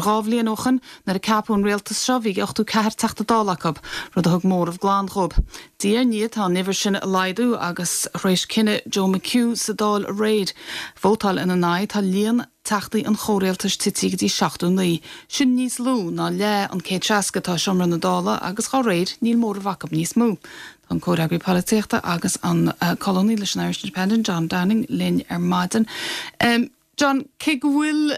Mar 2 bhliain ó shoin, nuair a ceapadh an rialtas seo, bhí 84 Teachta Dála acu, rud a thug móramh glan dhóibh. Diaidh ar ndiaidh tá an uimhir sin ag laghdú agus tar éis cinneadh Joe McHugh sa Dáil aréir vótáil ina n-aghaidh, tá líon Teachtaí an chomhrialtais tite go dtí 79. Sin níos lú ná leath an 160 atá i seomra na Dála agus dhá réir níl móramh acu níos mó. Tá an comhfhreagraí polaitíochta agus an colúnaí leis an Irish Independent, John Downing, linn ar maidin. John, cé go bhfuil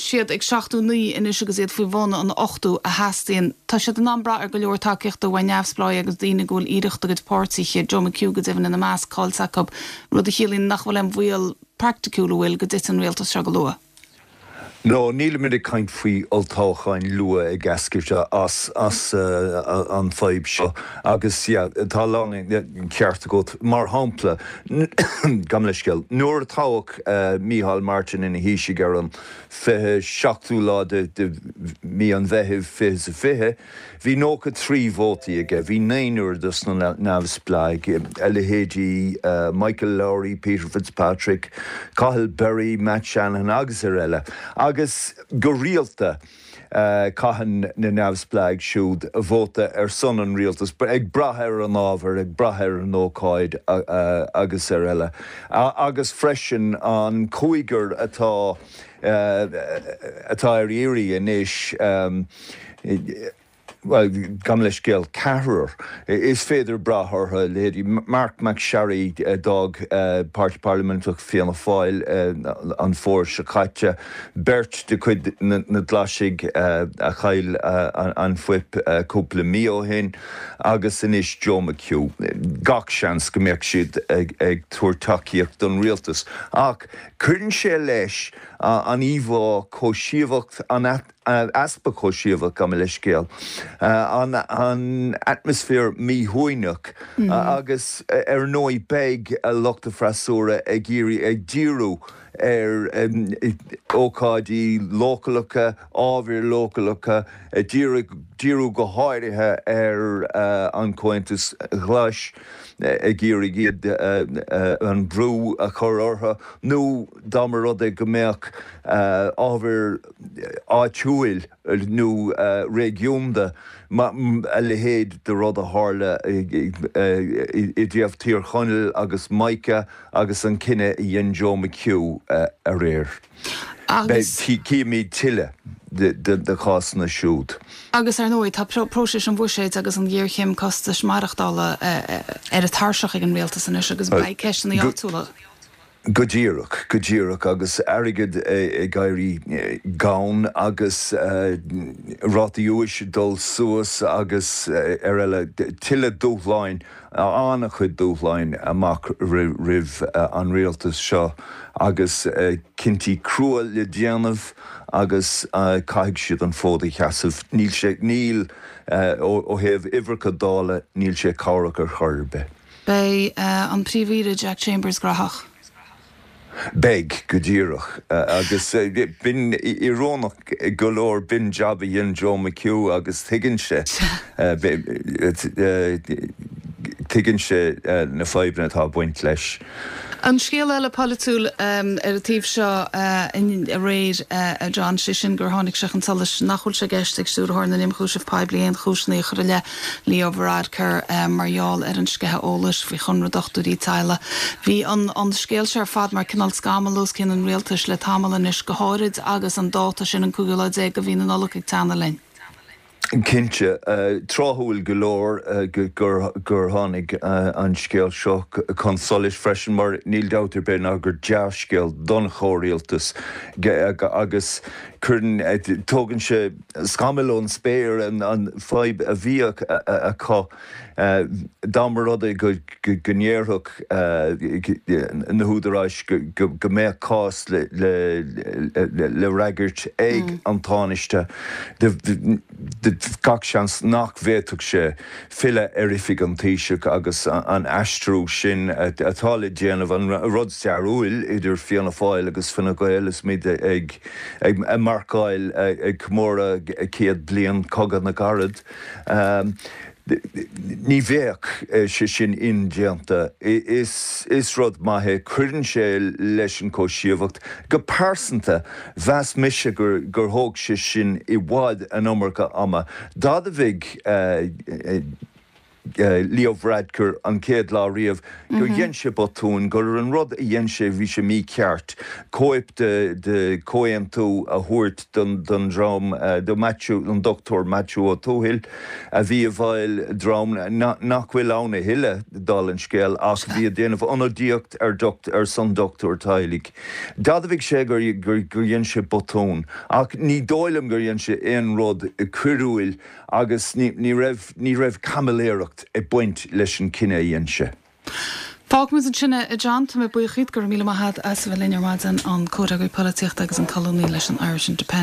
siad ag 79 anois agus iad faoi bhun an 80 a theastaíonn, tá siad in ann brath ar go leor tacaíochta uaidh neamhspleáigh agus daoine go bhfuil iarracht a gcuid páirtithe, Joe McHugh go deimhin ina measc, caillte acu, rud a chiallaíonn nach bhfuil aon bhaol praiticiúil an bhfuil go dtitfidh an rialtas seo go luath. No, nílimid ag caint faoi olltoghcháin luath ag eascairt as as an fadhb seo agus yeah tá a lán ceart agat. Mar shampla, gabh mo leithscéal, nuair a toghadh Micheál Martin ina Thaoiseach ar an 27ú lá de mhí an Mheithimh 2020, Bhí 93 vótaí aige, bhí naonúr dos na neamhspleáigh, a leithéidí Michael Lowry, Peter Fitzpatrick, Cathal Berry, Matt Shanahan agus ar eile, agus go rialta caitheann na neamhspleáigh siúd vóta ar son an rialtais, ag brath ar an ábhar, ag brath ar an ócáid agus ar eile. Agus freisin an cúigear atá atá ar iarraidh anois, bhuel, gabh mo leithscéal, ceathrar is féidir brath orthu, leithéidí Marc MacSharry a d'fhág Páirtí Parlaiminteach Fianna Fáil an fómhar seo caite, beirt de chuid na nGlaisigh a chaill an fuip cúpla mí ó shin, agus anois Joe McHugh. Gach seans go mbeadh siad ag tabhairt tacaíocht don rialtas. Ach cuireann sé leis an íomhá chomhsheasmhach, an easpa comhsheasmhach, gabh mo leithscéal, an atmaisféar míshuaimhneach agus ar ndóigh beidh lucht an fhreasúra ag iarraidh, ag díriú ar ócáidí leochaileacha, ábhair leochaileacha, ag díriú go háirithe ar an Chomhaontas Ghlais, ag iarraidh iad an brú a chur orthu nó dá mba rud é go mbeadh ábhair áitiúil nó réigiúnda, a leithéid de rud a tharla i dtaobh Thír Chonaill agus Mica agus an cinneadh a dhein Joe McHugh aréir. Agus. Cífimid tuilleadh de chásanna siúd. Agus ar ndóigh, tá próiseas an bhuiséid agus an ghéarchéim costais maireachtála ar an tairseach ag an rialtas anois agus beidh ceisteanna áitiúla. Go díreach, go díreach, agus airgead ag éirí gann agus rátaí úis ag dul suas agus ar eile, tuilleadh dúshláin, an-chuid dúshláin amach roimh an rialtas seo agus cinntí crua le déanamh agus caithfidh siad an fód a sheasamh. Níl sé, níl, ó thaobh uimhreacha Dála, níl sé cabhrach ar chor ar bith. Beidh an Príomh-Aoire Jack Chambers graitheach. Beidh, go díreach. Agus b'in íorónach go leor, b'in jab a dhein Joe McHugh agus tuigeann sé, tuigeann sé na fadhbanna atá ag baint leis. An scéal eile polaitiúil ar an taobh seo aréir, a John, sé sin gur tháinig sé chun solais nach bhfuil sé i gceist ag Stiúrthóir na nIomchúiseamh Poiblí aon chúiseanna a chur i leith Leo Varadkar mar gheall ar an sceitheadh eolais faoi chonradh dochtúirí teaghlaigh. Bhí an an scéal seo ar fad mar cineál scamall os cionn an rialtais le tamall anois, go háirid agus an dáta sin, an cúigiú lá déag de mhí na Nollag ag teannadh linn. Cinnte. Tráthúil go leor gur tháinig an scéal seo chun solais freisin mar níl dabht ar bith ná gur dea-scéal don chomhrialtas agus cuireann, tógann sé scamaill ón spéir an fadhb a bhíodh acu dá mba rud é go ndéarfadh na húdaráis go mbeadh cás le fhreagairt ag an Tánaiste, gach seans nach bhféadfadh sé filleadh ar oifig an Taoisigh agus an aistriú sin atá le déanamh, an rud stairiúil idir Fianna Fáil agus Fine Gael is muid ag marcáil, ag comóradh 100 bliain Cogadh na gCarad. Ní bheadh sé sin indéanta. Is rud maith é. Cuireann sé leis an chobhsaíocht. Go pearsanta, mheas mise gur thóg sé sin i bhfad an iomarca ama. D'admhaigh Leo Varadkar an chéad lá riamh gur dhein sé botún, gur an rud a dhein sé, bhí sé mícheart, cóip de chomhaontú a thabhairt don dream, do Matthew, don Dr Matthew Ó Tuathail, a bhí i bhfeighil dream nach bhfuil ann a thuilleadh, dála an scéil, ach bhí ag déanamh ionadaíocht ar ar son dochtúir teaghlaigh. D'admhaigh sé gur dhein sé botún, ach ní dóigh liom gur dhein sé aon rud coiriúil agus ní raibh ní raibh caimiléireacht ag baint leis an cinneadh a dhein sé. Fágfaimid ansin é, a John. Tá mé buíoch díot. Go raibh míle maith agat as a bheith linn ar maidin, an Comhfhreagraí Polaitíochta agus an colúnaí leis an Irish Independent.